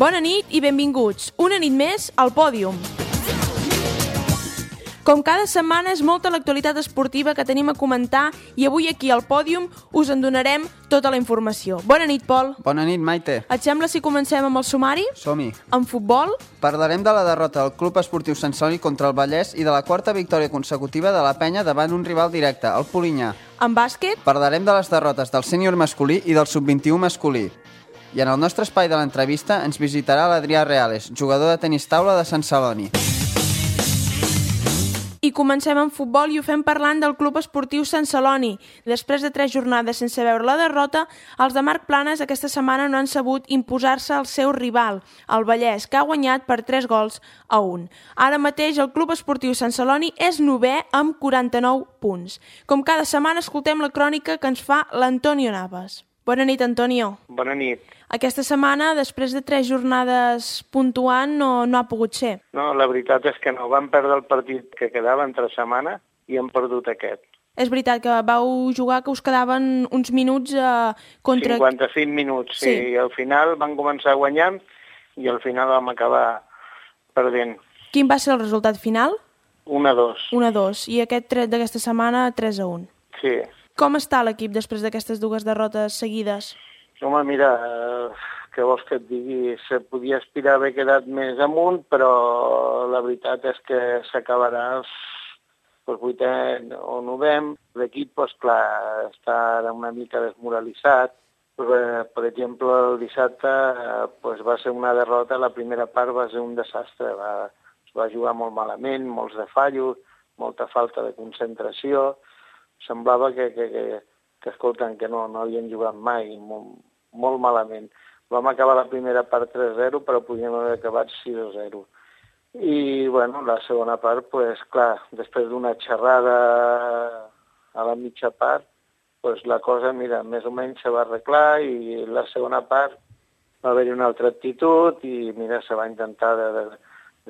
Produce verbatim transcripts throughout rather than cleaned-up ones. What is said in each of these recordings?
Bona nit i benvinguts. Una nit més al Pòdium. Com cada setmana és molta l'actualitat esportiva que tenim a comentar i avui aquí al Pòdium us en donarem tota la informació. Bona nit, Pol. Bona nit, Maite. Et sembla si comencem amb el sumari? Som-hi. En futbol? Parlarem de la derrota del Club Esportiu Sant Celoni contra el Vallès i de la quarta victòria consecutiva de la Penya davant un rival directe, el Polinyà. En bàsquet? Parlarem de les derrotes del sènior masculí i del sub vint-i-u masculí. I en el nostre espai de l'entrevista ens visitarà l'Adrià Reales, jugador de tenis taula de Sant Celoni. I comencem amb futbol i ho fem parlant del Club Esportiu Sant Celoni. Després de tres jornades sense veure la derrota, els de Marc Planes aquesta setmana no han sabut imposar-se al seu rival, el Vallès, que ha guanyat per tres gols a un. Ara mateix el Club Esportiu Sant Celoni és novè amb quaranta-nou punts. Com cada setmana escoltem la crònica que ens fa l'Antonio Navas. Bona nit, Antonio. Bona nit. Aquesta setmana, després de tres jornades puntuant, no, no ha pogut ser. No, la veritat és que no. Van perdre el partit que quedava entre setmana i han perdut aquest. És veritat que vau jugar, que us quedaven uns minuts eh, contra... cinquanta-cinc minuts, sí. Sí. I al final van començar guanyant i al final vam acabar perdent. Quin va ser el resultat final? un a dos. un a dos. I aquest tret d'aquesta setmana, tres a un. Sí. Com està l'equip després d'aquestes dues derrotes seguides? Home, mira, eh, què vols que et digui? Se podia aspirar a haver quedat més amunt, però la veritat és que s'acabarà el vuitè o novem. L'equip, doncs clar, està ara una mica desmoralitzat. Per, per exemple, el dissabte doncs, va ser una derrota, la primera part va ser un desastre. Va, es va jugar molt malament, molts de fallos, molta falta de concentració. Semblava que, que, que, que escolten, que no, no havien jugat mai, molt, molt malament. Vam acabar la primera part tres a zero, però podíem haver acabat sis a zero. I, bueno, la segona part, pues, clar, després d'una xerrada a la mitja part, pues, la cosa, mira, més o menys se va arreglar i la segona part va haver-hi una altra actitud i, mira, se va intentar de, de,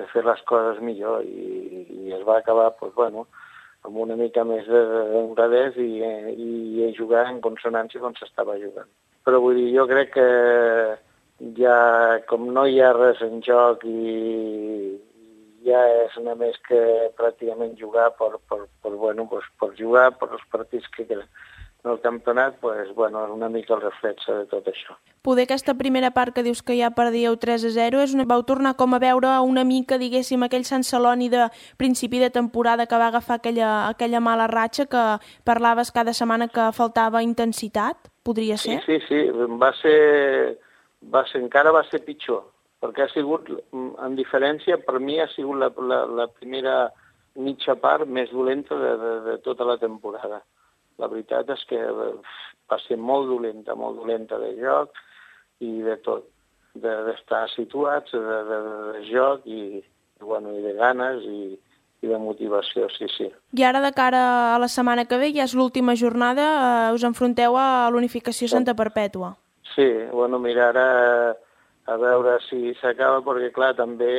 de fer les coses millor i, i es va acabar, pues, bueno, amb una mica més d'honradès i, i, i jugar en consonància com s'estava jugant. Però vull dir, jo crec que ja, com no hi ha res en joc i ja és només que pràcticament jugar per, per, per, bueno, pues, per jugar, per els partits que queden en el campionat, pues, bueno, és una mica el reflex de tot això. Poder aquesta primera part que dius que ja perdíeu tres a zero, és una... vau tornar com a veure una mica, diguéssim, aquell Sant Celoni de principi de temporada que va agafar aquella, aquella mala ratxa que parlaves cada setmana que faltava intensitat? Podria ser? Sí, sí, sí. Va ser, va ser, encara va ser pitjor, perquè ha sigut, en diferència, per mi ha sigut la, la, la primera mitja part més dolenta de, de, de tota la temporada. La veritat és que va ser molt dolenta, molt dolenta de joc i de tot, d'estar situats, de, de, de joc i, bueno, i de ganes i, i de motivació, sí, sí. I ara, de cara a la setmana que ve, ja és l'última jornada, eh, us enfronteu a l'Unificació Santa Perpètua. Sí, bueno, mira, ara a veure si s'acaba, perquè clar, també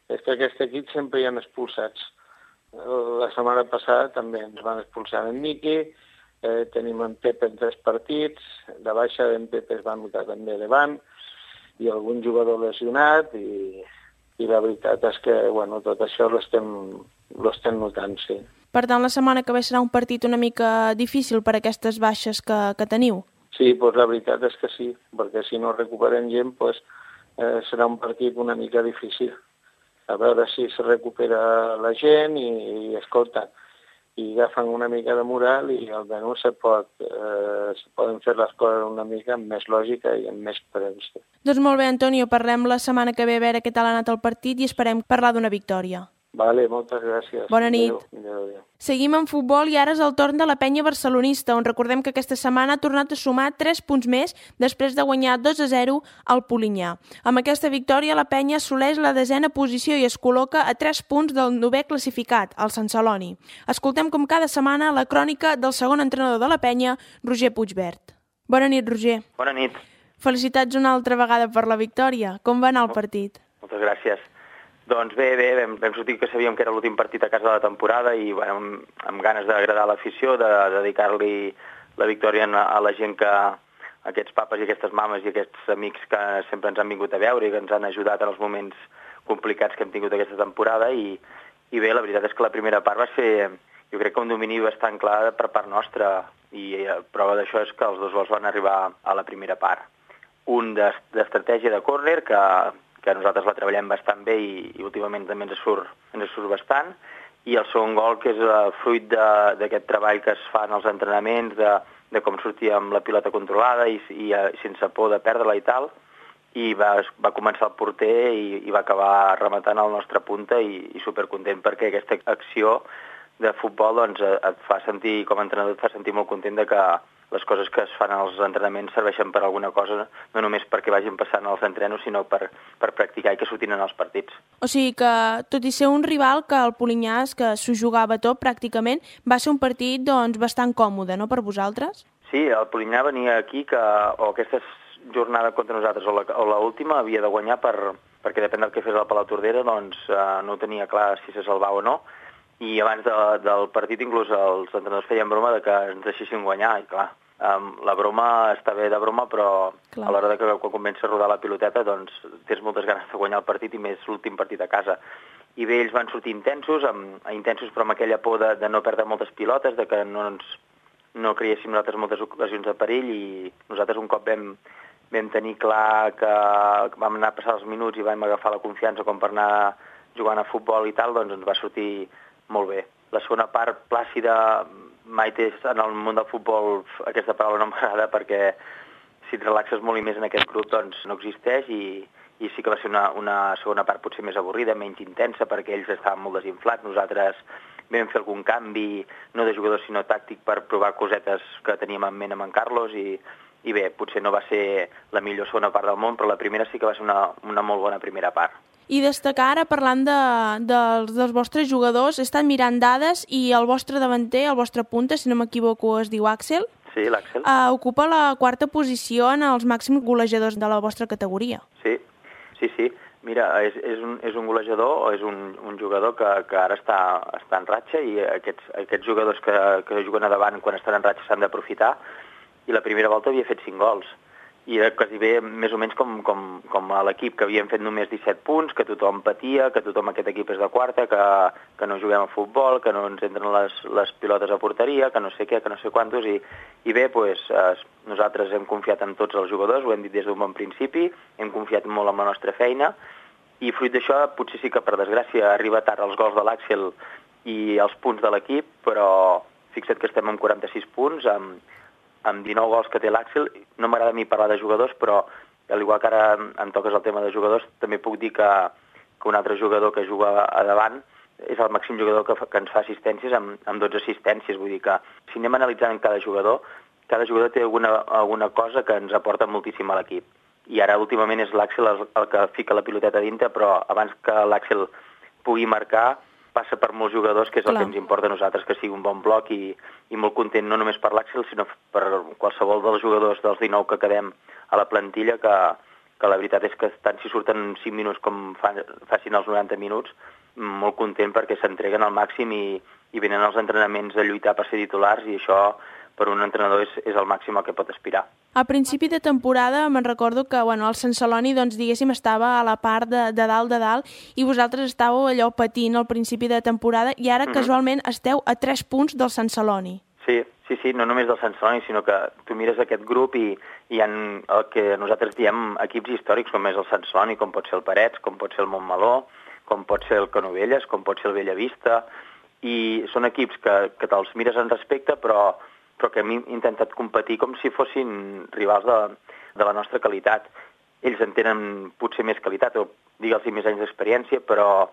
és que aquest equip sempre hi ha expulsats. La setmana passada també ens van expulsar en Miqui, eh, tenim en Pepe en tres partits, de baixa en Pepe es va notar també davant, i algun jugador lesionat, i, i la veritat és que bueno, tot això l'estem notant, sí. Per tant, la setmana que ve serà un partit una mica difícil per aquestes baixes que, que teniu? Sí, doncs la veritat és que sí, perquè si no recuperem gent, doncs, eh, serà un partit una mica difícil. A veure si se recupera la gent i, i escolta, i agafen una mica de moral i almenys se, pot, eh, se poden fer les coses una mica amb més lògica i amb més premsa. Doncs molt bé, Antonio, parlem la setmana que ve a veure què tal ha anat el partit i esperem parlar d'una victòria. Vale, moltes gràcies. Bona nit. Adéu. Adéu, adéu. Seguim en futbol i ara és el torn de la penya barcelonista, on recordem que aquesta setmana ha tornat a sumar tres punts més després de guanyar dos a zero al Polinyà. Amb aquesta victòria, la penya assoleix la desena posició i es col·loca a tres punts del novè classificat, el Sant Celoni. Escoltem com cada setmana la crònica del segon entrenador de la penya, Roger Puigvert. Bona nit, Roger. Bona nit. Felicitats una altra vegada per la victòria. Com va anar el partit? Moltes gràcies. Doncs bé, bé, vam, vam sortir que sabíem que era l'últim partit a casa de la temporada i bueno, amb, amb ganes d'agradar l'afició, de, de dedicar-li la victòria a la gent que, aquests papes i aquestes mames i aquests amics que sempre ens han vingut a veure i que ens han ajudat en els moments complicats que hem tingut aquesta temporada i, i bé, la veritat és que la primera part va ser, jo crec que un domini bastant clar per part nostra i eh, prova d'això és que els dos gols van arribar a la primera part. Un d'estratègia de córner, que, que nosaltres la treballem bastant bé i, i últimament també ens surt, ens surt bastant, i el segon gol que és uh, fruit d'aquest treball que es fa en els entrenaments, de, de com sortir amb la pilota controlada i, i uh, sense por de perdre-la i tal, i va, va començar el porter i, i va acabar rematant el nostre punta i, i supercontent perquè aquesta acció de futbol doncs, et fa sentir, com a entrenador, et fa sentir molt content de que les coses que es fan als entrenaments serveixen per alguna cosa, no només perquè vagin passant als entrenos, sinó per, per practicar i que surtin en els partits. O sigui que, tot i ser un rival que el Polinyàs, que s'ho jugava tot pràcticament, va ser un partit doncs, bastant còmode, no?, per vosaltres? Sí, el Polinyà venia aquí que o aquesta jornada contra nosaltres o l'última havia de guanyar per, perquè depèn del que fes el Palau Tordera, doncs eh, no tenia clar si se salvava o no, i abans de, del partit inclús els entrenadors feien broma de que ens deixessin guanyar, i clar, um, la broma està bé de broma, però clar, a l'hora de que quan comença a rodar la piloteta doncs tens moltes ganes de guanyar el partit i més l'últim partit a casa. I bé, ells van sortir intensos, amb, intensos però amb aquella por de, de no perdre moltes pilotes, de que no, ens, no creéssim nosaltres moltes ocasions de perill, i nosaltres un cop vam, vam tenir clar que vam anar a passar els minuts i vam agafar la confiança com per anar jugant a futbol i tal, doncs ens va sortir molt bé. La segona part plàcida, mai té, en el món del futbol aquesta paraula no m'agrada perquè si et relaxes molt i més en aquest grup doncs no existeix i, i sí que va ser una, una segona part potser més avorrida, menys intensa perquè ells estaven molt desinflats. Nosaltres vam fer algun canvi, no de jugadors sinó tàctic per provar cosetes que teníem en ment amb en Carlos i, i bé, potser no va ser la millor segona part del món, però la primera sí que va ser una, una molt bona primera part. I destacar ara, parlant de, dels, dels vostres jugadors, he estat mirant dades i el vostre davanter, el vostre punta, si no m'equivoco, es diu Àxel. Sí, l'Àxel. Uh, ocupa la quarta posició en els màxims golejadors de la vostra categoria. Sí, sí, sí. Mira, és, és, un, és un golejador, és un, un jugador que, que ara està, està en ratxa i aquests, aquests jugadors que, que juguen a davant quan estan en ratxa s'han d'aprofitar i la primera volta havia fet cinc gols. I era quasi bé més o menys com, com, com a l'equip, que havien fet només disset punts, que tothom patia, que tothom aquest equip és de quarta, que, que no juguem a futbol, que no ens entren les, les pilotes a porteria, que no sé què, que no sé quantos, i, i bé, pues, eh, nosaltres hem confiat en tots els jugadors, ho hem dit des d'un bon principi, hem confiat molt en la nostra feina, i fruit d'això potser sí que per desgràcia arriba tard els gols de l'Àxel i els punts de l'equip, però fixa't que estem amb quaranta-sis punts, amb amb dinou gols que té l'Àxel. No m'agrada a mi parlar de jugadors, però al igual que ara em toques el tema de jugadors, també puc dir que, que un altre jugador que juga a davant és el màxim jugador que, que ens fa assistències amb, amb dotze assistències. Vull dir que si anem analitzant cada jugador, cada jugador té alguna, alguna cosa que ens aporta moltíssim a l'equip. I ara últimament és l'Àxel el, el que fica la piloteta dintre, però abans que l'Àxel pugui marcar passa per molts jugadors, que és el Clar. que ens importa a nosaltres, que sigui un bon bloc i, i molt content no només per l'Àxel, sinó per qualsevol dels jugadors dels dinou que quedem a la plantilla, que, que la veritat és que tant si surten cinc minuts com fa, facin els noranta minuts, molt content perquè s'entreguen al màxim i, i venen als entrenaments a lluitar per ser titulars i això per un entrenador és, és el màxim al que pot aspirar. A principi de temporada me'n recordo que bueno, el Sant Celoni doncs, diguéssim, estava a la part de, de dalt de dalt i vosaltres estàveu allò patint al principi de temporada i ara mm-hmm. casualment esteu a tres punts del Sant Celoni. Sí, sí, sí, no només del Sant Celoni, sinó que tu mires aquest grup i hi ha el que nosaltres diem equips històrics, com és el Sant Celoni, com pot ser el Parets, com pot ser el Montmeló, com pot ser el Canovelles, com pot ser el Bellavista, i són equips que, que te'ls mires en respecte, però però que hem intentat competir com si fossin rivals de, de la nostra qualitat. Ells en tenen potser més qualitat, o digue'ls més anys d'experiència, però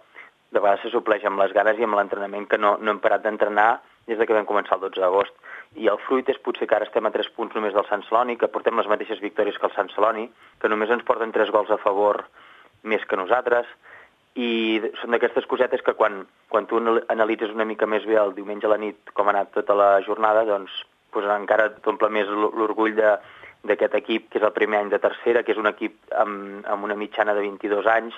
de vegades se supleix amb les ganes i amb l'entrenament que no, no hem parat d'entrenar des de que vam començar el dotze d'agost. I el fruit és potser que ara estem a tres punts només del Sant Celoni, que portem les mateixes victòries que el Sant Celoni, que només ens porten tres gols a favor més que nosaltres, i són d'aquestes cosetes que quan, quan tu analitzes una mica més bé el diumenge a la nit com ha anat tota la jornada, doncs, doncs encara t'omple més l'orgull d'aquest equip, que és el primer any de tercera, que és un equip amb, amb una mitjana de vint-i-dos anys,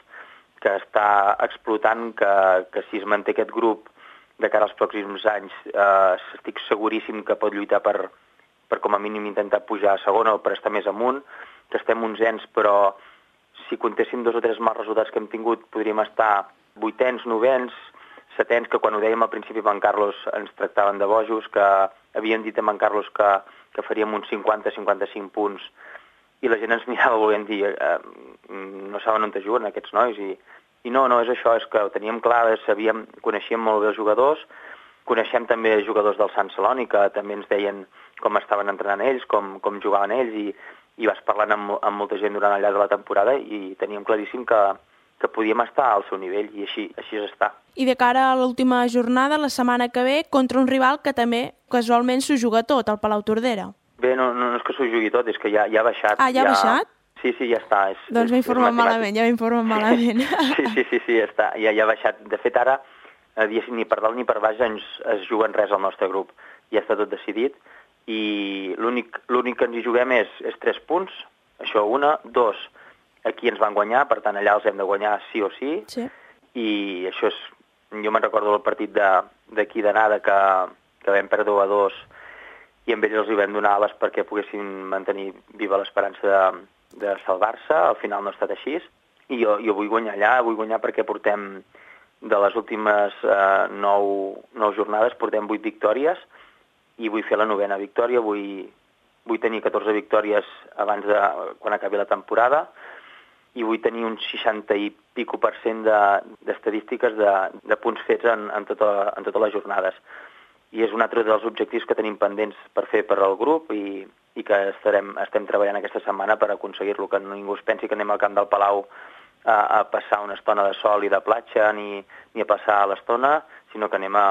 que està explotant, que, que si es manté aquest grup de cara als pròxims anys, eh, estic seguríssim que pot lluitar per, per com a mínim intentar pujar a segona o per estar més amunt, que estem onzens, però si comptéssim dos o tres mals resultats que hem tingut, podríem estar vuitens, novens, setens, que quan ho dèiem al principi amb en Carlos ens tractaven de bojos, que havien dit amb en Carlos que, que faríem uns cinquanta a cinquanta-cinc punts, i la gent ens mirava volent dir eh, no saben on te juguen aquests nois, i, i no, no és això, és que ho teníem clar, sabíem, coneixíem molt bé els jugadors, coneixem també jugadors del Sant Celoni, que també ens deien com estaven entrenant ells, com, com jugaven ells, i, i vas parlant amb, amb molta gent durant el llarg de la temporada i teníem claríssim que, que podíem estar al seu nivell, i així, així és estar. I de cara a l'última jornada, la setmana que ve, contra un rival que també casualment s'ho juga tot, el Palau Tordera. Bé, no, no, no és que s'ho jugui tot, és que ja, ja ha baixat. Ah, ja ha ja... baixat? Sí, sí, ja està. És, doncs m'he informat malament, ja m'he informat malament. Sí, sí, sí, sí, ja està, ja, ja ha baixat. De fet, ara, ni per dalt ni per baix ens, es juguen res al nostre grup. Ja està tot decidit, i l'únic que ens hi juguem és, és tres punts, això una, dos, aquí ens van guanyar, per tant allà els hem de guanyar sí o sí, sí. I això és, jo me'n recordo el partit d'aquí d'anada que, que vam perdre a dos, i amb ells els hi vam donar ales perquè poguessin mantenir viva l'esperança de, de salvar-se. Al final no ha estat així, i jo, jo vull guanyar allà, vull guanyar perquè portem de les últimes eh, nou, nou jornades, portem vuit victòries, i vull fer la novena victòria, vull, vull tenir catorze victòries abans de quan acabi la temporada, i vull tenir un seixanta i pico per cent d'estadístiques de, de, de punts fets en, en, tota, en totes les jornades. I és un altre dels objectius que tenim pendents per fer per al grup, i, i que estarem, estem treballant aquesta setmana per aconseguir-lo, que ningú es pensi que anem al camp del Palau a, a passar una estona de sol i de platja, ni, ni a passar l'estona, sinó que anem a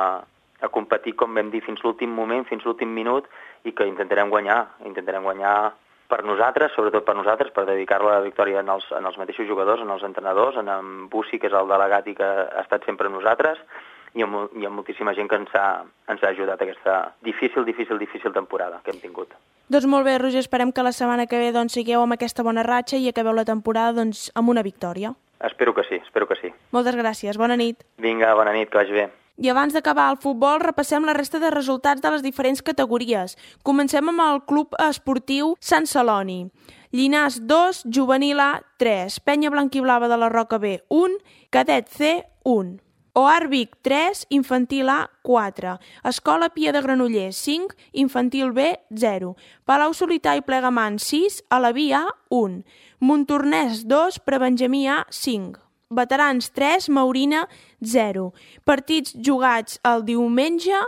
a competir, com vam dir, fins l'últim moment, fins l'últim minut, i que intentarem guanyar, intentarem guanyar per nosaltres, sobretot per nosaltres, per dedicar-lo a la victòria en els, en els mateixos jugadors, en els entrenadors, en en Bussi, que és el delegat i que ha estat sempre amb nosaltres, i amb, i amb moltíssima gent que ens ha, ens ha ajudat aquesta difícil, difícil, difícil temporada que hem tingut. Doncs molt bé, Roger, esperem que la setmana que ve doncs, sigueu amb aquesta bona ratxa i acabeu la temporada doncs, amb una victòria. Espero que sí, espero que sí. Moltes gràcies, bona nit. Vinga, bona nit, que vagi bé. I abans d'acabar el futbol, repassem la resta de resultats de les diferents categories. Comencem amb el Club Esportiu Sant Celoni. Llinars dos, Juvenil A tres, Penya Blanquiblava de la Roca B un, Cadet C un. O A R Vic tres, Infantil A quatre, Escola Pia de Granollers cinc, Infantil B zero, Palau Solità i Plegamans sis, Alaví A un, Montornès dos, Prebenjamí A cinc. Veterans tres, Maurina zero. Partits jugats el diumenge,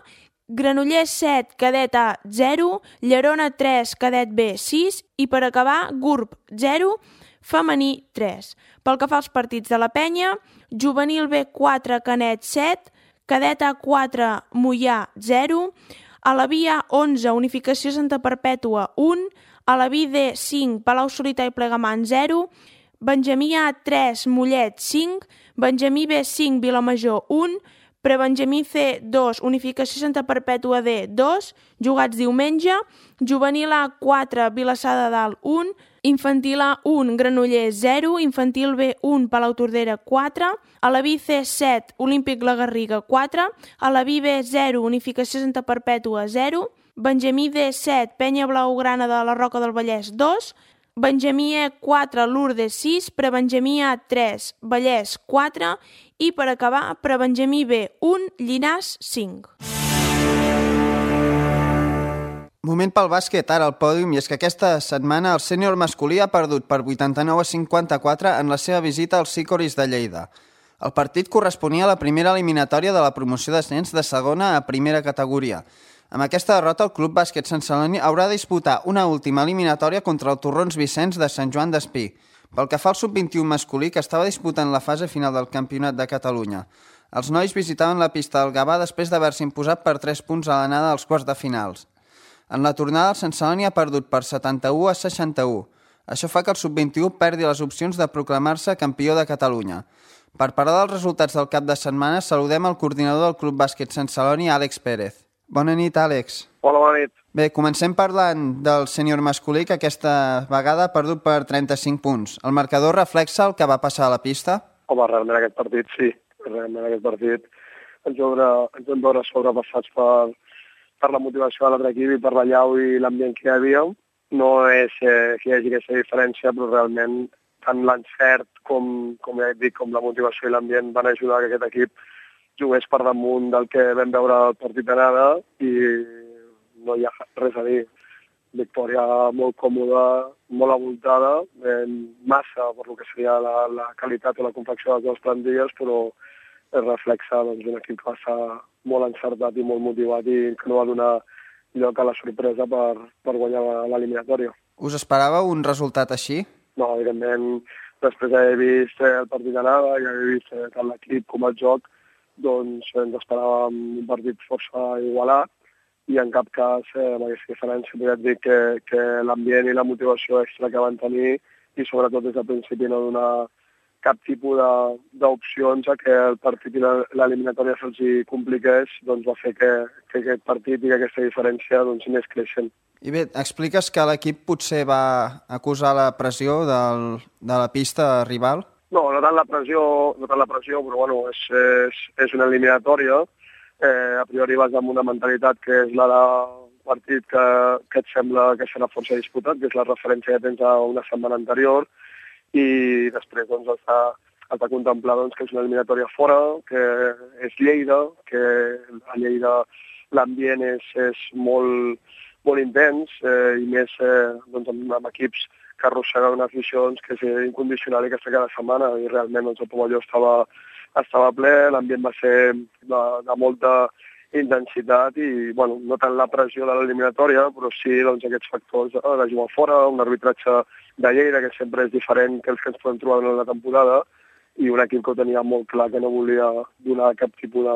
Granollers set, Cadet A zero, Llerona tres, Cadet B sis i per acabar Gurb zero, Femení tres. Pel que fa als partits de la Penya, Juvenil B quatre, Canet set, Cadet A quatre, Moià zero, Alaví A onze, Unificació Santa Perpètua un, Alaví D cinc, Palau Solità i Plegamans zero, Benjamí A tres, Mollet cinc, Benjamí B cinc, Vilamajor un, Prebenjamí C dos, Unificació Santa Perpètua D dos, jugats diumenge, Juvenil A quatre, Vilassar de Dalt un, Infantil A un, Granollers zero, Infantil B un, Palau Tordera quatre, Alaví C set, Olímpic La Garriga quatre, Alaví B zero, Unificació Santa Perpètua zero, Benjamí D set, Penya Blaugrana de la Roca del Vallès dos, Benjamí E quatre, Lourdes sis, Prebenjamí A tres, Vallès quatre i per acabar Prebenjamí B un, Llinars cinc. Moment pel bàsquet, ara al pòdium, i és que aquesta setmana el sènior masculí ha perdut per vuitanta-nou a cinquanta-quatre en la seva visita als Sicòris de Lleida. El partit corresponia a la primera eliminatòria de la promoció d'ascens de segona a primera categoria. Amb aquesta derrota, el Club Bàsquet Sant Celoni haurà de disputar una última eliminatòria contra el Torrons Vicenç de Sant Joan d'Espí, pel que fa al sub vint-i-u masculí, que estava disputant la fase final del Campionat de Catalunya. Els nois visitaven la pista del Gavà després d'haver-se imposat per tres punts a l'anada als quarts de finals. En la tornada, el Sant Celoni ha perdut per setanta-u a seixanta-u. Això fa que el sub vint-i-u perdi les opcions de proclamar-se campió de Catalunya. Per parlar dels resultats del cap de setmana, saludem el coordinador del Club Bàsquet Sant Celoni, Àlex Pérez. Bona nit, Àlex. Hola, bona nit. Bé, comencem parlant del sènior masculí, que aquesta vegada ha perdut per trenta-cinc punts. El marcador reflexa el que va passar a la pista? Home, realment aquest partit sí. Realment aquest partit ens vam veure, ens vam veure sobrepassats per, per la motivació de l'altre equip i per la llau i l'ambient que hi havia. No és eh, que hi hagi aquesta diferència, però realment tant l'encert com, com ja dic, com la motivació i l'ambient van ajudar que aquest equip jugués per damunt del que vam veure al partit d'anada i no hi ha res a dir. Victòria molt còmoda, molt avoltada, eh, massa per lo que seria la, la qualitat o la confecció de les dues plantilles, però es reflexa doncs, un equip que va estar molt encertat i molt motivat i que no va donar lloc a la sorpresa per, per guanyar l'eliminatòria. Us esperàveu un resultat així? No, evidentment, després d'haver vist el partit d'anada i haver vist tant l'equip com el joc, doncs ens esperàvem un partit força igualat i en cap cas eh, amb aquesta diferència podria dir que, que l'ambient i la motivació extra que van tenir i sobretot des del principi no donar cap tipus d'opcions a que el partit i l'eliminatòria se'ls compliqués, doncs va fer que, que aquest partit i que aquesta diferència doncs, anés creixent. I bé, expliques que l'equip potser va acusar la pressió del, de la pista rival? No, no tant la pressió, no tant la pressió però bueno, és, és, és una eliminatòria. Eh, a priori vas amb una mentalitat que és la del partit que, que et sembla que serà força disputat, que és la referència que tens a una setmana anterior, i després doncs, has, de, has de contemplar doncs, que és una eliminatòria fora, que és Lleida, que a Lleida l'ambient és, és molt, molt intens eh, i més eh, doncs, amb, amb equips que arrosseguen una afició doncs, que és incondicional i que està cada setmana, i realment doncs, el Pavelló estava estava ple, l'ambient va ser de, de molta intensitat i, bueno, no tant la pressió de l'eliminatòria, però sí doncs, aquests factors de jugar fora, un arbitratge de Lleida que sempre és diferent que els que ens podem trobar en la temporada i un equip que ho tenia molt clar que no volia donar cap tipus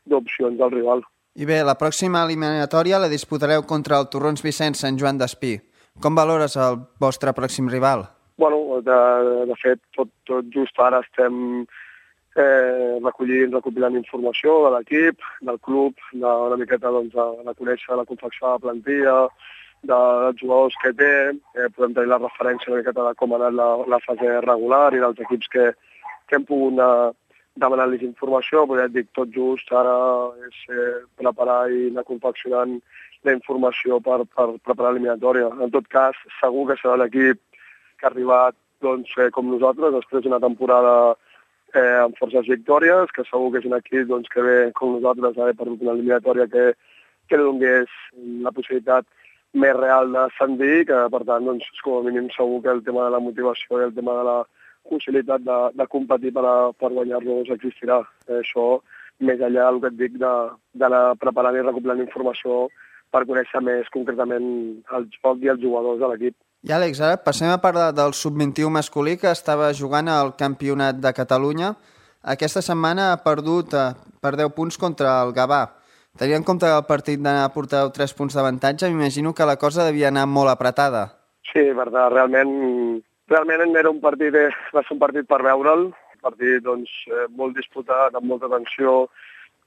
d'opcions al rival. I bé, la pròxima eliminatòria la disputareu contra el Torrons Vicenç Sant Joan d'Espí. Com valores el vostre pròxim rival? Bueno, de, de fet, tot, tot just ara estem Eh, recollint, recopilant informació de l'equip, del club, de, una miqueta doncs, de, de conèixer la confecció de la plantilla, de, dels jugadors que té, eh, podem tenir la referència una miqueta de com ha anat la, la fase regular i dels equips que, que hem pogut anar demanant-los informació, però ja et dic, tot just ara és eh, preparar i anar confeccionant la informació per, per preparar l'eliminatòria. En tot cas, segur que serà l'equip que ha arribat doncs, eh, com nosaltres, després d'una temporada Eh, amb forces victòries, que segur que és un equip doncs, que ve com nosaltres haver perdut una eliminatòria que, que li donés la possibilitat més real d'ascendir, que per tant, doncs, com a mínim segur que el tema de la motivació i el tema de la possibilitat de, de competir per, a, per guanyar-los existirà. Eh, això, més enllà del que et dic, d'anar preparant i recopilant informació per conèixer més concretament el joc i els jugadors de l'equip. I Àlex, ara passem a parlar del sub vint u masculí que estava jugant al Campionat de Catalunya. Aquesta setmana ha perdut eh, per deu punts contra el Gavà. Tenint en compte que el partit d'anar a portar tres punts d'avantatge, m'imagino que la cosa devia anar molt apretada. Sí, verdad, realment, realment era un partit, va ser un partit per veure'l, un partit doncs, molt disputat, amb molta tensió.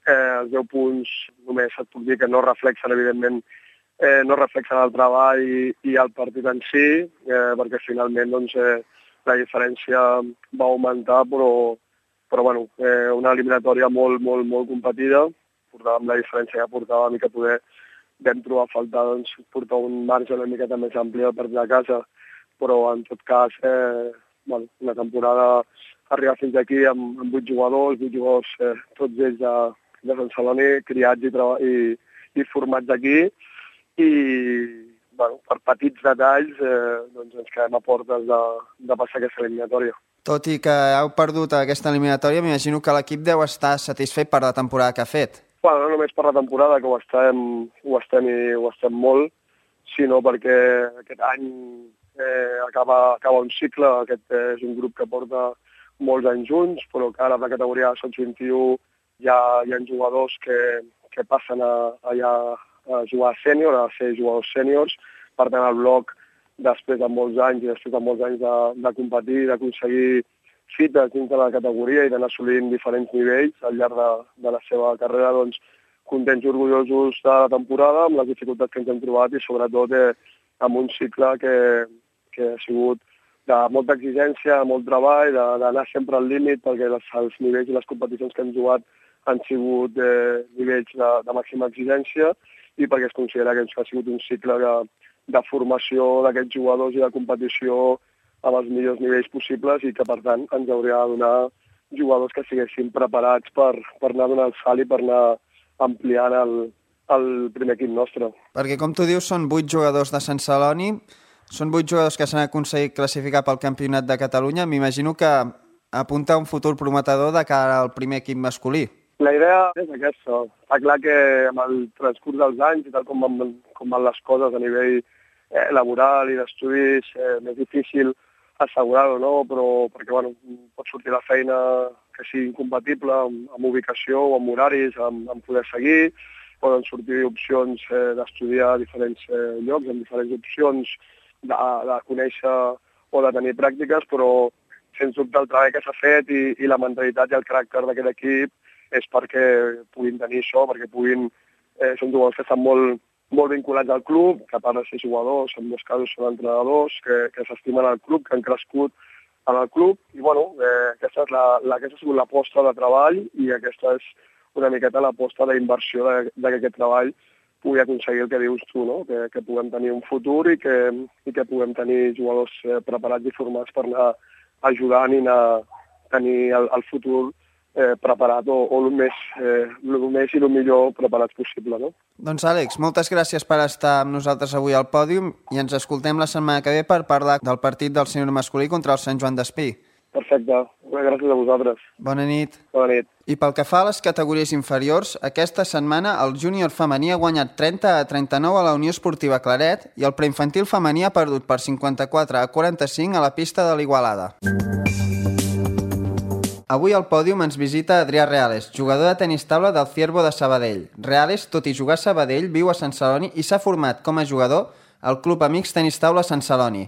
Eh, els deu punts només et puc dir que no reflexen, evidentment, Eh, no reflexen el treball i, i el partit en si, eh, perquè finalment doncs, eh, la diferència va augmentar, però, però bueno, eh, una eliminatòria molt, molt, molt competida, portàvem la diferència que portàvem i que poder vam trobar a faltar doncs, portar un marge una miqueta més ampli al partit de casa, però en tot cas, eh, bueno, una temporada arribar fins aquí amb, amb vuit jugadors, vuit jugadors, eh, tots ells de, de Sant Celoni, criats i, i, i formats aquí, i bueno, per petits detalls eh, doncs ens quedem a portes de, de passar aquesta eliminatòria. Tot i que heu perdut aquesta eliminatòria, m'imagino que l'equip deu estar satisfet per la temporada que ha fet. Bueno, no només per la temporada, que ho estem, ho estem i ho estem molt, sinó perquè aquest any eh, acaba, acaba un cicle. Aquest és un grup que porta molts anys junts, però que ara a la categoria sub vint u ja hi ha jugadors que, que passen a, allà a jugar a sènior, a ser jugadors sèniors, per tant el bloc, després de molts anys i després de molts anys de, de competir, d'aconseguir fites dins de la categoria i d'anar assolint diferents nivells al llarg de, de la seva carrera, doncs contents i orgullosos de la temporada, amb les dificultats que ens hem trobat i sobretot eh, amb un cicle que, que ha sigut de molta exigència, molt treball, d'anar sempre al límit, perquè les, els nivells i les competicions que hem jugat han sigut eh, nivells de, de màxima exigència, i perquè es considera que això ha sigut un cicle de, de formació d'aquests jugadors i de competició amb els millors nivells possibles i que, per tant, ens hauria de donar jugadors que estiguessin preparats per, per anar donant el salt i per anar ampliant el, el primer equip nostre. Perquè, com tu dius, són vuit jugadors de Sant Celoni, són vuit jugadors que s'han aconseguit classificar pel Campionat de Catalunya. M'imagino que apunta a un futur prometedor de cara al primer equip masculí. La idea és aquesta. Està clar que amb el transcurs dels anys i tal com van, com van les coses a nivell eh, laboral i d'estudis, eh, més difícil assegurar-ho, no? Però perquè bueno, pot sortir la feina que sigui incompatible amb, amb ubicació o amb horaris, amb, amb poder seguir, poden sortir opcions eh, d'estudiar a diferents eh, llocs, amb diferents opcions de, de conèixer o de tenir pràctiques, però sens dubte el treball que s'ha fet i, i la mentalitat i el caràcter d'aquest equip és perquè puguin tenir això, perquè puguin... Eh, són jugadors que estan molt, molt vinculats al club, que a part de ser jugadors, en molts casos són entrenadors, que, que s'estimen al club, que han crescut en el club, i bueno, eh, aquesta, és la, la, aquesta ha sigut l'aposta de treball i aquesta és una miqueta l'aposta d'inversió de, de que aquest treball pugui aconseguir el que dius tu, no? que, que puguem tenir un futur i que, i que puguem tenir jugadors eh, preparats i formats per anar ajudant i anar tenir el, el futur eh, preparat o, o el, més, eh, el més i el millor preparats possible. No? Doncs Àlex, moltes gràcies per estar amb nosaltres avui al pòdium i ens escoltem la setmana que ve per parlar del partit del sènior masculí contra el Sant Joan d'Espí. Perfecte. Gràcies a vosaltres. Bona nit. Bona nit. I pel que fa a les categories inferiors, aquesta setmana el júnior femení ha guanyat trenta a trenta-nou a la Unió Esportiva Claret i el preinfantil femení ha perdut per cinquanta-quatre a quaranta-cinc a la pista de l'Igualada. Avui al pòdium ens visita Adrià Reales, jugador de tenis taula del Ciervo de Sabadell. Reales, tot i jugar a Sabadell, viu a Sant Celoni i s'ha format com a jugador al Club Amics Tenis Taula Sant Celoni.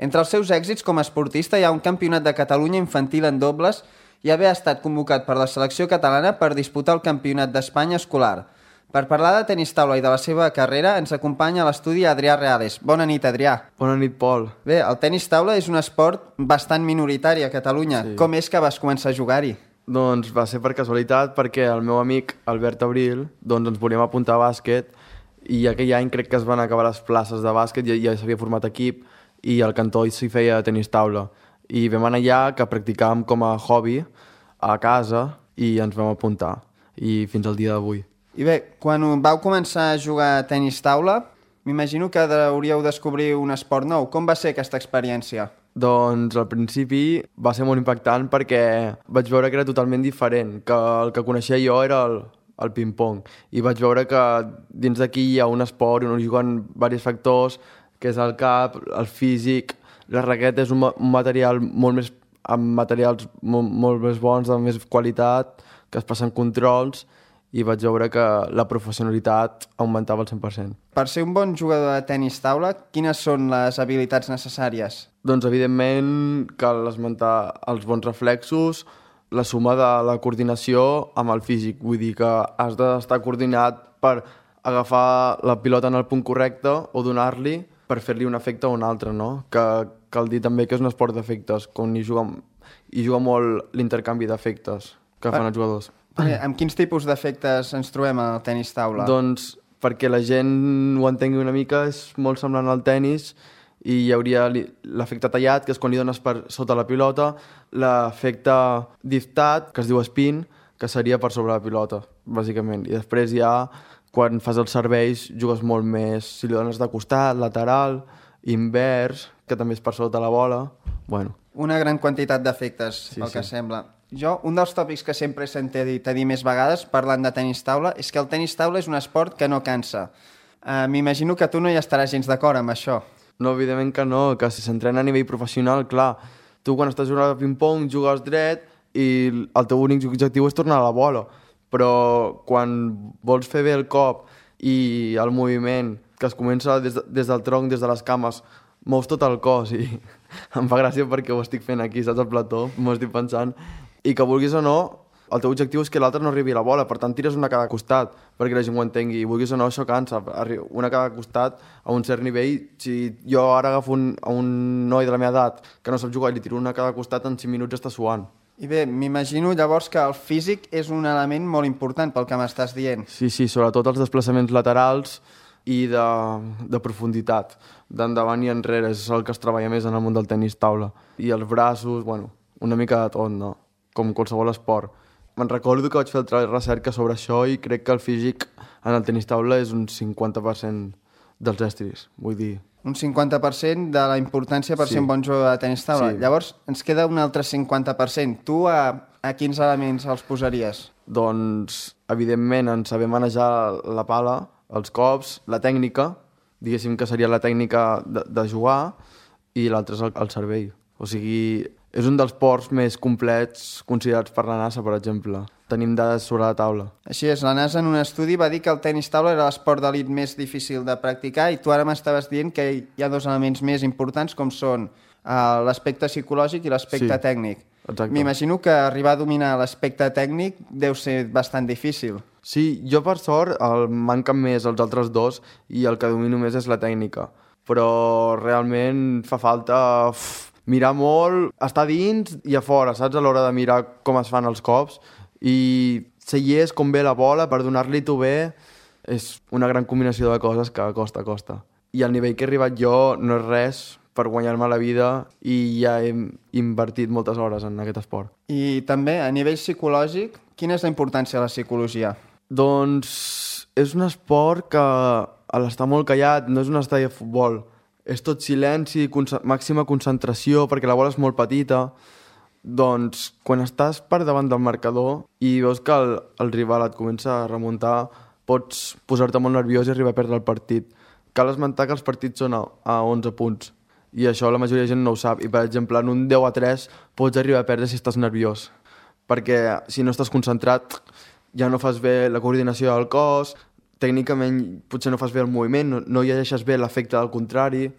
Entre els seus èxits com a esportista hi ha un campionat de Catalunya infantil en dobles i haver estat convocat per la selecció catalana per disputar el campionat d'Espanya escolar. Per parlar de tenis taula i de la seva carrera ens acompanya a l'estudi Adrià Reales. Bona nit, Adrià. Bona nit, Pol. Bé, el tenis taula és un esport bastant minoritari a Catalunya. Sí. Com és que vas començar a jugar-hi? Doncs va ser per casualitat perquè el meu amic Albert Abril doncs ens volíem apuntar a bàsquet i aquell any crec que es van acabar les places de bàsquet i ja s'havia format equip i al cantó s'hi feia tenis taula. I vam anar allà que practicàvem com a hobby a casa i ens vam apuntar. I fins al dia d'avui. I bé, quan vau començar a jugar a tenis taula, m'imagino que hauríeu descobrir un esport nou. Com va ser aquesta experiència? Doncs al principi va ser molt impactant perquè vaig veure que era totalment diferent, que el que coneixia jo era el, el ping-pong. I vaig veure que dins d'aquí hi ha un esport on juguen diversos factors, que és el cap, el físic, la raqueta és un, un material molt més, amb materials molt, molt més bons, de més qualitat, que es passen controls, i vaig veure que la professionalitat augmentava al cent per cent. Per ser un bon jugador de tenis taula, quines són les habilitats necessàries? Doncs, evidentment, cal esmentar els bons reflexos, la suma de la coordinació amb el físic. Vull dir que has d'estar coordinat per agafar la pilota en el punt correcte o donar-li per fer-li un efecte o un altre, no? Que cal dir també que és un esport d'efectes, on hi juga, hi juga molt l'intercanvi d'efectes que fan els jugadors. Eh, amb quins tipus d'efectes ens trobem al tenis taula? Doncs perquè la gent ho entengui una mica, és molt semblant al tenis i hi hauria l'efecte tallat, que és quan li dones per sota la pilota, l'efecte diftat, que es diu spin, que seria per sobre la pilota, bàsicament. I després ja, quan fas els serveis, jugues molt més, si li dones de costat, lateral, invers, que també és per sota la bola, bueno. Una gran quantitat d'efectes, sí, pel sí. que sembla. Jo, un dels tòpics que sempre he sentit dit a dir més vegades, parlant de tenis taula, és que el tenis taula és un esport que no cansa. Uh, M'imagino que tu no hi estaràs gens d'acord amb això. No, evidentment que no, que si s'entrena a nivell professional, clar, tu quan estàs jugant a ping-pong jugues dret i el teu únic objectiu és tornar a la bola, però quan vols fer bé el cop i el moviment, que es comença des, de, des del tronc, des de les cames, mous tot el cos i em fa gràcia perquè ho estic fent aquí, saps, al plató, m'ho estic pensant, i que vulguis o no, el teu objectiu és que l'altre no arribi a la bola, per tant tires una a cada costat perquè la gent ho entengui, i vulguis o no això cansa, una a cada costat a un cert nivell. Si jo ara agafo un, a un noi de la meva edat que no sap jugar i li tiro una a cada costat, en cinc minuts està suant. I bé, m'imagino llavors que el físic és un element molt important pel que m'estàs dient. Sí, sí, sobretot els desplaçaments laterals i de, de profunditat, d'endavant i enrere, és el que es treballa més en el món del tenis taula. I els braços, bueno, una mica de tot, no? Com qualsevol esport. Me'n recordo que vaig fer el treball de recerca sobre això i crec que el físic en el tenis taula és un cinquanta per cent dels estris, vull dir... Un cinquanta per cent de la importància per sí. ser un bon jugador de tenis taula. Sí. Llavors, ens queda un altre cinquanta per cent. Tu a, a quins elements els posaries? Doncs, evidentment, en saber manejar la pala, els cops, la tècnica, diguéssim que seria la tècnica de, de jugar, i l'altre és el, el cervell. O sigui, és un dels ports més complets considerats per la NASA, per exemple. Tenim dades sobre la taula. Així és, la NASA en un estudi va dir que el tenis taula era l'esport d'elit més difícil de practicar i tu ara m'estaves dient que hi ha dos elements més importants com són uh, l'aspecte psicològic i l'aspecte sí, tècnic. Exacte. M'imagino que arribar a dominar l'aspecte tècnic deu ser bastant difícil. Sí, jo per sort el manquen més els altres dos i el que domino més és la tècnica. Però realment fa falta uf, mirar molt, estar dins i a fora, saps? A l'hora de mirar com es fan els cops i ser llest com ve la bola per donar-li tu bé és una gran combinació de coses que costa, costa. I el nivell que he arribat jo no és res per guanyar-me la vida i ja he invertit moltes hores en aquest esport. I també, a nivell psicològic, quina és la importància de la psicologia? Doncs és un esport que a l'estar molt callat no és un estadi de futbol. És tot silenci, con- màxima concentració perquè la bola és molt petita. Doncs quan estàs per davant del marcador i veus que el, el rival et comença a remuntar, pots posar-te molt nerviós i arribar a perdre el partit. Cal esmentar que els partits són a, a onze punts i això la majoria de gent no ho sap. I per exemple, en un deu a tres pots arribar a perdre si estàs nerviós. Perquè si no estàs concentrat ja no fas bé la coordinació del cos, tècnicament potser no fas bé el moviment, no, no llegeixes bé l'efecte del contrari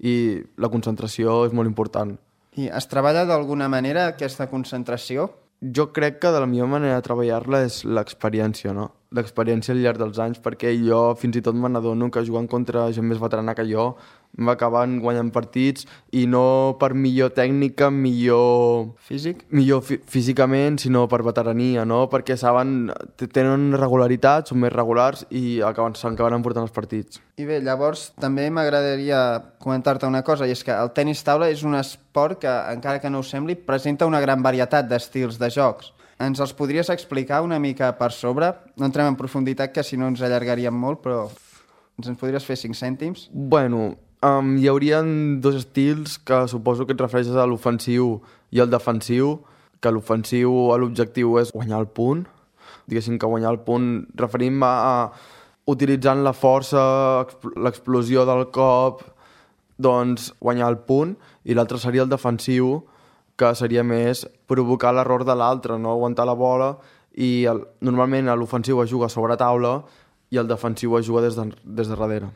i la concentració és molt important. I es treballa d'alguna manera aquesta concentració? Jo crec que de la millor manera de treballar-la és l'experiència, no? L'experiència al llarg dels anys, perquè jo fins i tot me n'adono que jugant contra gent més veterana que jo m'acaben guanyant partits i no per millor tècnica, millor... Físic? Millor fí- físicament, sinó per veterania, no? Perquè saben, tenen regularitat, són més regulars i acaben, s'acaben emportant els partits. I bé, llavors també m'agradaria comentar-te una cosa, i és que el tenis taula és un esport que, encara que no ho sembli, presenta una gran varietat d'estils de jocs. Ens els podries explicar una mica per sobre? No entrem en profunditat, que si no ens allargaríem molt, però ens en podries fer cinc cèntims? Bueno, um, hi haurien dos estils que suposo que et refereixes a l'ofensiu i el defensiu, que l'ofensiu l'objectiu és guanyar el punt. Diguéssim que guanyar el punt referim a, a utilitzant la força, l'explosió del cop, doncs guanyar el punt, i l'altre seria el defensiu, que seria més provocar l'error de l'altre, no? Aguantar la bola, i el, normalment l'ofensiu es juga sobre taula i el defensiu es juga des de, des de darrere.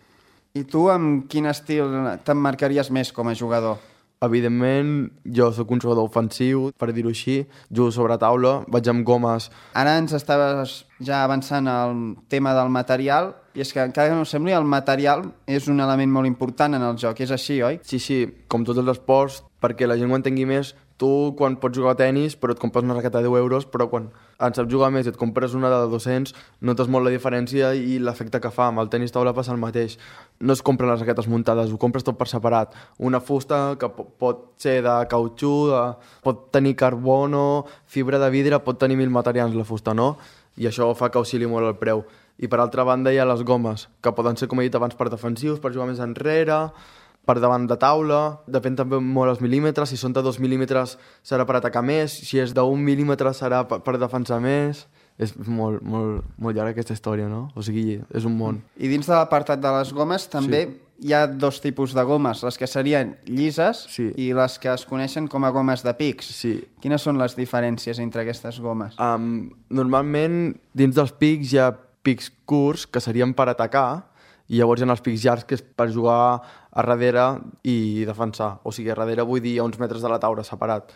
I tu amb quin estil t'emmarcaries més com a jugador? Evidentment, jo sóc un jugador ofensiu, per dir-ho així, jugo sobre taula, vaig amb gomes. Ara ens estaves ja avançant al tema del material, i és que encara que no sembli, el material és un element molt important en el joc, és així, oi? Sí, sí, com tots els esports, perquè la gent ho entengui més, tu quan pots jugar a tenis però et compres una raqueta de deu euros, però quan en saps jugar més i et compres una de dos-cents, notes molt la diferència i l'efecte que fa. Amb el tenis taula passa el mateix. No es compren les raquetes muntades, ho compres tot per separat. Una fusta que pot ser de cautxú, de... pot tenir carbono, fibra de vidre, pot tenir mil materials la fusta, no? I això fa que oscil·li molt el preu. I per altra banda hi ha les gomes, que poden ser, com he dit abans, per defensius, per jugar més enrere, per davant de taula, depèn també molt els mil·límetres, si són de dos mil·límetres serà per atacar més, si és d'un mil·límetre serà per, per defensar més. És molt, molt, molt llarga aquesta història, no? O sigui, és un món. I dins de l'apartat de les gomes també sí. Hi ha dos tipus de gomes, les que serien llises sí. i les que es coneixen com a gomes de pics. Sí. Quines són les diferències entre aquestes gomes? Um, normalment, dins dels pics hi ha pics curts, que serien per atacar, i llavors hi ha els pics llargs, que és per jugar a darrere i defensar. O sigui, a darrere vull dir a uns metres de la taula, separat.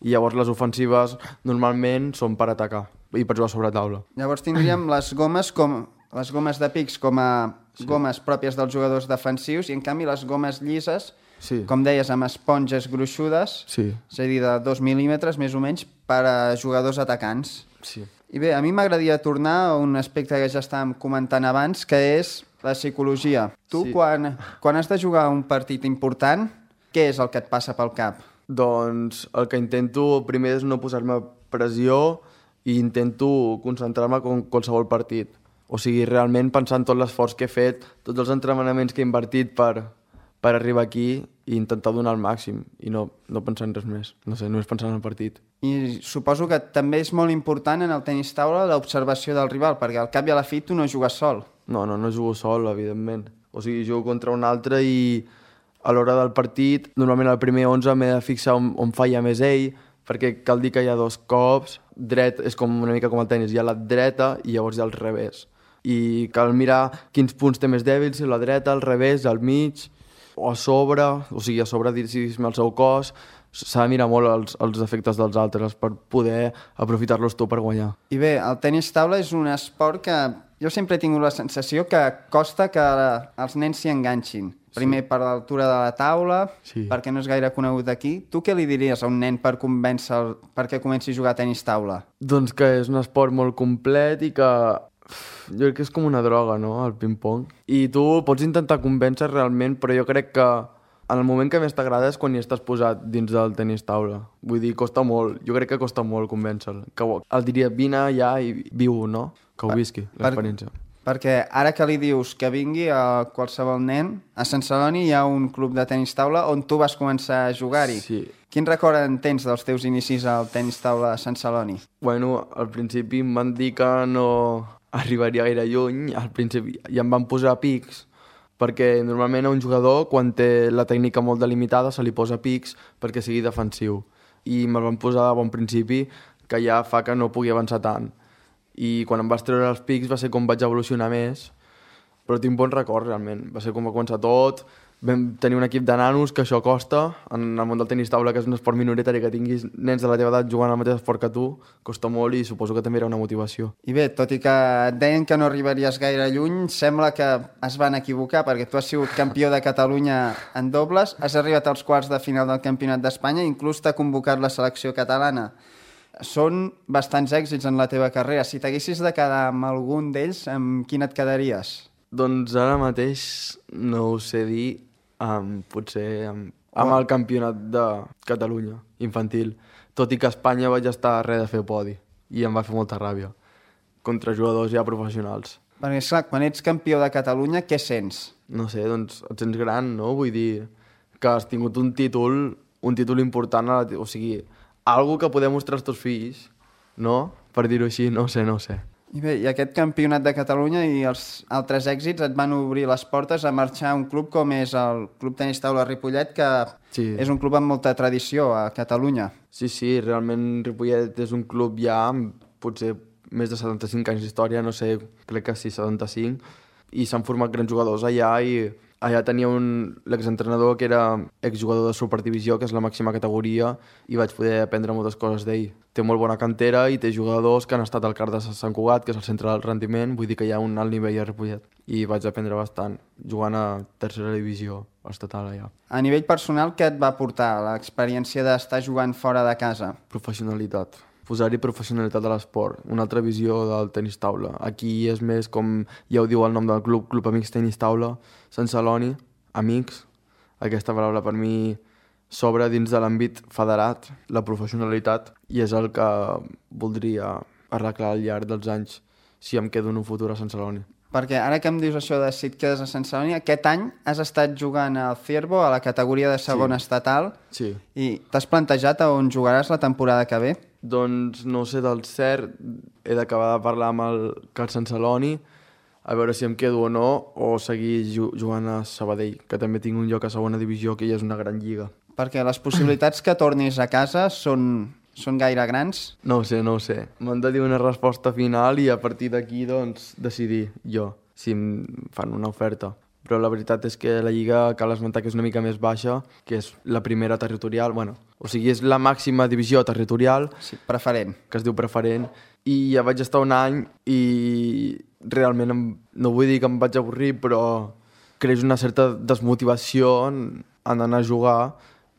I llavors les ofensives normalment són per atacar i per jugar sobre taula. Llavors tindríem les gomes com les gomes de pics com a sí. gomes pròpies dels jugadors defensius i en canvi les gomes llises Sí. com deies, amb esponges gruixudes, Sí. és a dir, de dos mil·límetres més o menys, per a jugadors atacants. Sí. I bé, a mi m'agradaria tornar a un aspecte que ja estàvem comentant abans, que és la psicologia. Tu, Sí. quan, quan has de jugar un partit important, què és el que et passa pel cap? Doncs el que intento primer és no posar-me pressió i intento concentrar-me com qualsevol partit. O sigui, realment pensar en tot l'esforç que he fet, tots els entrenaments que he invertit per, per arribar aquí i intentar donar el màxim i no, no pensar en res més. No sé, només pensar en el partit. I suposo que també és molt important en el tenis taula l'observació del rival, perquè al cap i a la fi tu no jugues sol. No, no, no jugo sol, evidentment. O sigui, jugo contra un altre i a l'hora del partit, normalment al primer onze m'he de fixar on, on falla més ell, perquè cal dir que hi ha dos cops, dret és com una mica com el tenis, hi ha la dreta i llavors hi ha el revés. I cal mirar quins punts té més dèbils, si la dreta, al revés, al mig, o a sobre, o sigui, a sobre diguéssim el seu cos, s'ha de mirar molt els, els efectes dels altres per poder aprofitar-los tu per guanyar. I bé, el tenis taula és un esport que jo sempre he tingut la sensació que costa que els nens s'hi enganxin. Primer, sí. per l'altura de la taula, Sí. perquè no és gaire conegut aquí. Tu què li diries a un nen per convèncer perquè comenci a jugar a tenis taula? Doncs que és un esport molt complet i que jo crec que és com una droga, no?, el ping-pong. I tu pots intentar convèncer realment, però jo crec que en el moment que més t'agrada és quan hi estàs posat dins del tenis taula. Vull dir, costa molt. Jo crec que costa molt convèncer-lo. Que el diria, vine ja i viu, no? Que ho visqui, l'experiència. Per, perquè ara que li dius que vingui a qualsevol nen, a Sant Celoni hi ha un club de tenis taula on tu vas començar a jugar-hi. Sí. Quin record en tens dels teus inicis al tenis taula a Sant Celoni? Bueno, al principi em van dir que no arribaria gaire lluny. Al principi i em van posar pics, perquè normalment a un jugador, quan té la tècnica molt delimitada, se li posa pics perquè sigui defensiu. I me'l van posar a bon principi, que ja fa que no pugui avançar tant. I quan em vas treure els pics va ser com vaig evolucionar més, però tinc bons records realment. Va ser com va començar tot, vam tenir un equip de nanos, que això costa, en el món del tenis taula, que és un esport minoritari, que tinguis nens de la teva edat jugant al mateix esport que tu, costa molt i suposo que també era una motivació. I bé, tot i que et deien que no arribaries gaire lluny, sembla que es van equivocar, perquè tu has sigut campió de Catalunya en dobles, has arribat als quarts de final del Campionat d'Espanya, inclús t'ha convocat la selecció catalana. Són bastants èxits en la teva carrera. Si t'haguessis de quedar amb algun d'ells, amb quin et quedaries? Doncs ara mateix no ho sé dir, um, potser amb, amb el Campionat de Catalunya infantil, tot i que a Espanya vaig estar a res de fer podi i em va fer molta ràbia contra jugadors ja professionals. Perquè, esclar, quan ets campió de Catalunya, què sents? No sé, doncs et sents gran, no? Vull dir que has tingut un títol, un títol important, a la, o sigui, algo que poder mostrar als teus fills, no? Per dir-ho així, no sé, no sé. I bé, i aquest Campionat de Catalunya i els altres èxits et van obrir les portes a marxar a un club com és el Club Tenis Taula Ripollet, que Sí. és un club amb molta tradició a Catalunya. Sí, sí, realment Ripollet és un club ja amb potser més de setanta-cinc anys d'història, no sé, crec que sí, setanta-cinc, i s'han format grans jugadors allà i allà tenia un l'exentrenador que era exjugador de Superdivisió, que és la màxima categoria, i vaig poder aprendre moltes coses d'ell. Té molt bona cantera i té jugadors que han estat al CAR de Sant Cugat, que és el centre del rendiment, vull dir que hi ha un alt nivell a Ripollet. I vaig aprendre bastant, jugant a tercera divisió estatal allà. A nivell personal, què et va portar l'experiència d'estar jugant fora de casa? Professionalitat. Posar-hi professionalitat a l'esport, una altra visió del tenis taula. Aquí és més com, ja ho diu el nom del club, Club Amics Tenis Taula, Sant Celoni, amics. Aquesta paraula per mi s'obre dins de l'àmbit federat, la professionalitat, i és el que voldria arreglar al llarg dels anys si em quedo en un futur a Sant Celoni. Perquè ara que em dius això de si et quedes a Sant Celoni, aquest any has estat jugant al Ciervo, a la categoria de segona Sí. estatal, Sí. i t'has plantejat a on jugaràs la temporada que ve? Doncs no sé del cert, he d'acabar de parlar amb el CAR Sant Celoni, a veure si em quedo o no, o seguir ju jugant a Sabadell, que també tinc un lloc a segona divisió, que ja és una gran lliga. Perquè les possibilitats que tornis a casa són, són gaire grans? No ho sé, no ho sé. M'han de dir una resposta final i a partir d'aquí, doncs, decidir jo si em fan una oferta. Però la veritat és que la Lliga cal esmentar que és una mica més baixa, que és la primera territorial, bueno, o sigui, és la màxima divisió territorial, Sí, preferent. que es diu preferent, i ja vaig estar un any i realment em, no vull dir que em vaig avorrir, però creix una certa desmotivació han d'anar a jugar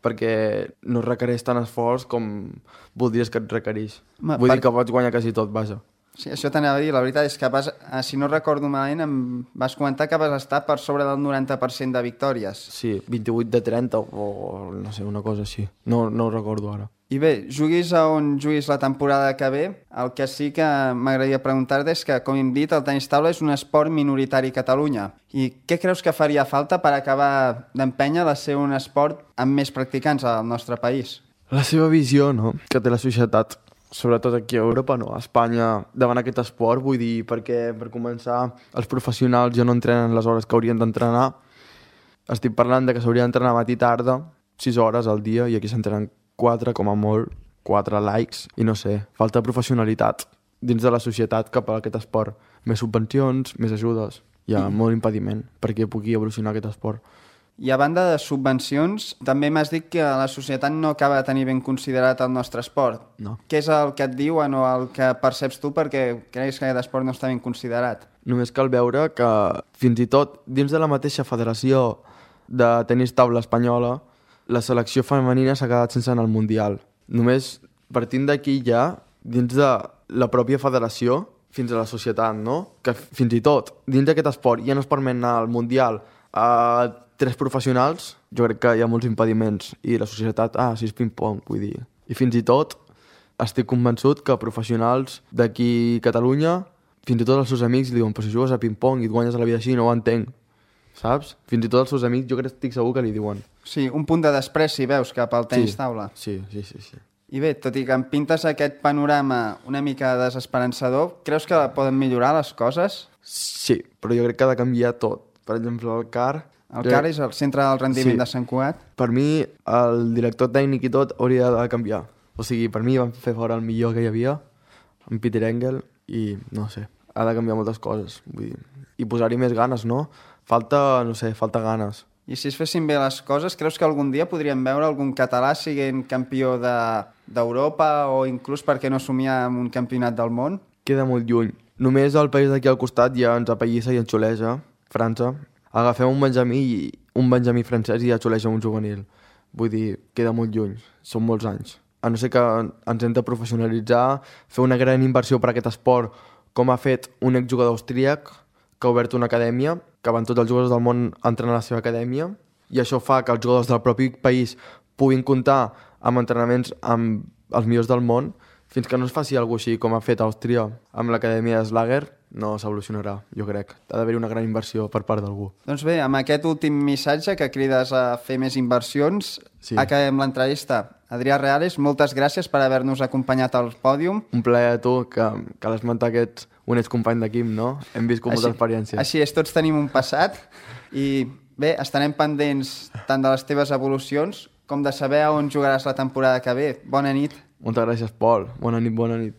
perquè no requereix tant esforç com voldries que et requereix. Ma, Vull per... dir que pots guanyar quasi tot, vaja. Sí, això t'anava a dir. La veritat és que, vas, si no recordo malament, em vas comentar que vas estar per sobre del noranta per cent de victòries. Sí, vint-i-vuit de trenta o no sé, una cosa així. No, no ho recordo ara. I bé, juguis a on juguis la temporada que ve, el que sí que m'agradaria preguntar-te és que, com hem dit, el tenis taula és un esport minoritari a Catalunya. I què creus que faria falta per acabar d'empènyer de ser un esport amb més practicants al nostre país? La seva visió, no?, que té la societat, sobretot aquí a Europa, no, a Espanya, davant aquest esport, vull dir, perquè, per començar, els professionals ja no entrenen les hores que haurien d'entrenar. Estic parlant de que s'hauria d'entrenar matí i tarda, sis hores al dia, i aquí s'entrenen quatre, com a molt, quatre likes, i no sé, falta professionalitat dins de la societat cap a aquest esport. Més subvencions, més ajudes, hi ha mm. molt impediment perquè pugui evolucionar aquest esport. I a banda de subvencions, també m'has dit que la societat no acaba de tenir ben considerat el nostre esport. No. Què és el que et diuen o el que perceps tu perquè creus que aquest esport no està ben considerat? Només cal veure que fins i tot dins de la mateixa federació de tenis taula espanyola, la selecció femenina s'ha quedat sense anar al Mundial. Només partint d'aquí ja, dins de la pròpia federació, fins a la societat, no? Que fins i tot dins d'aquest esport ja no es permet anar al Mundial a tres professionals, jo crec que hi ha molts impediments. I la societat, ah, si és ping-pong, vull dir. I fins i tot estic convençut que professionals d'aquí a Catalunya, fins i tot els seus amics li diuen, però si jugues a ping-pong i et guanyes a la vida així, no ho entenc. Saps? Fins i tot els seus amics jo crec que estic segur que li diuen. Sí, un punt de despreci, veus, cap al tenis sí, taula. Sí, sí, sí, sí. I bé, tot i que em pintes aquest panorama una mica desesperançador, creus que poden millorar les coses? Sí, però jo crec que ha de canviar tot. Per exemple, el C A R... El C A R és el centre del rendiment sí. de Sant Cugat? Per mi, el director tècnic i tot hauria de canviar. O sigui, per mi van fer fora el millor que hi havia, en Peter Engel, i no sé, ha de canviar moltes coses. Vull dir, i posar-hi més ganes, no? Falta, no sé, falta ganes. I si es fessin bé les coses, creus que algun dia podríem veure algun català siguent campió d'Europa de, o inclús, per què no somiar amb un campionat del món? Queda molt lluny. Només el país d'aquí al costat ja ens apallissa i ens xuleja, França. Agafem un benjamí, i un benjamí francès i ja xuleja un juvenil. Vull dir, queda molt lluny. Són molts anys. A no ser que ens hem de professionalitzar, fer una gran inversió per a aquest esport, com ha fet un exjugador austríac, que ha obert una acadèmia, que van tots els jugadors del món a entrenar a la seva acadèmia, i això fa que els jugadors del propi país puguin comptar amb entrenaments amb els millors del món. Fins que no es faci alguna cosa així com ha fet Àustria amb l'acadèmia de Schlager, no s'evolucionarà, jo crec. Ha d'haver una gran inversió per part d'algú. Doncs bé, amb aquest últim missatge que crides a fer més inversions, sí. Acabem l'entrevista. Adrià Reales, moltes gràcies per haver-nos acompanyat al pòdium. Un plaer a tu, que, que l'esmentar aquests un excompany d'equip, no? Hem viscut molta experiència. Així és, tots tenim un passat i bé, estarem pendents tant de les teves evolucions com de saber a on jugaràs la temporada que ve. Bona nit. Moltes gràcies, Pol. Bona nit, bona nit.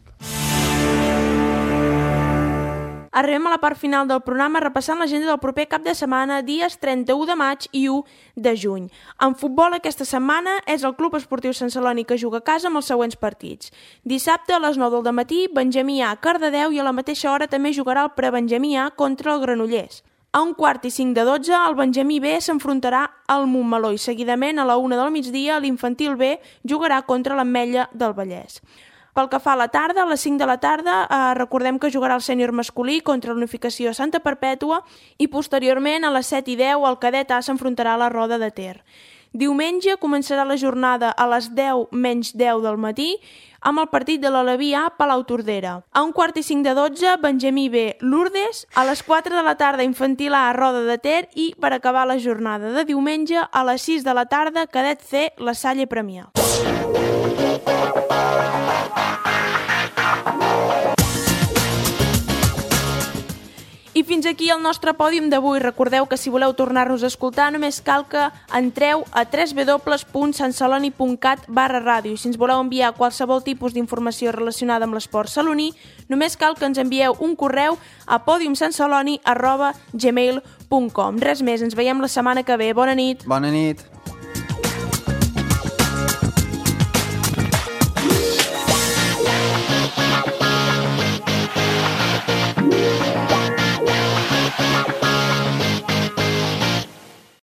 Arribem a la part final del programa repassant l'agenda del proper cap de setmana, dies trenta-u de maig i u de juny. En futbol aquesta setmana és el Club Esportiu Sant Celoni que juga a casa amb els següents partits. Dissabte a les nou del matí, Benjamí A, Cardedeu, i a la mateixa hora també jugarà el prebenjamí A contra el Granollers. A un quart i cinc de dotze, el Benjamí B s'enfrontarà al Montmeló i seguidament a la una del migdia l'infantil B jugarà contra l'Ametlla del Vallès. Pel que fa a la tarda, a les cinc de la tarda, eh, recordem que jugarà el sènior masculí contra l'Unificació Santa Perpètua i posteriorment a les set i deu el cadet A s'enfrontarà a la Roda de Ter. Diumenge començarà la jornada a les deu menys deu del matí amb el partit de l'Aleví A Palau-Tordera. A un quart i cinc de dotze, Benjamí B Lourdes, a les quatre de la tarda infantil A Roda de Ter i per acabar la jornada de diumenge a les sis de la tarda cadet C La Salle Premià. I fins aquí el nostre pòdium d'avui. Recordeu que si voleu tornar-nos a escoltar només cal que entreu a w w w punt santceloni punt cat barra ràdio. I si ens voleu enviar qualsevol tipus d'informació relacionada amb l'esport saloní, només cal que ens envieu un correu a podiumsantceloni arroba gmail punt com. Res més, ens veiem la setmana que ve. Bona nit. Bona nit.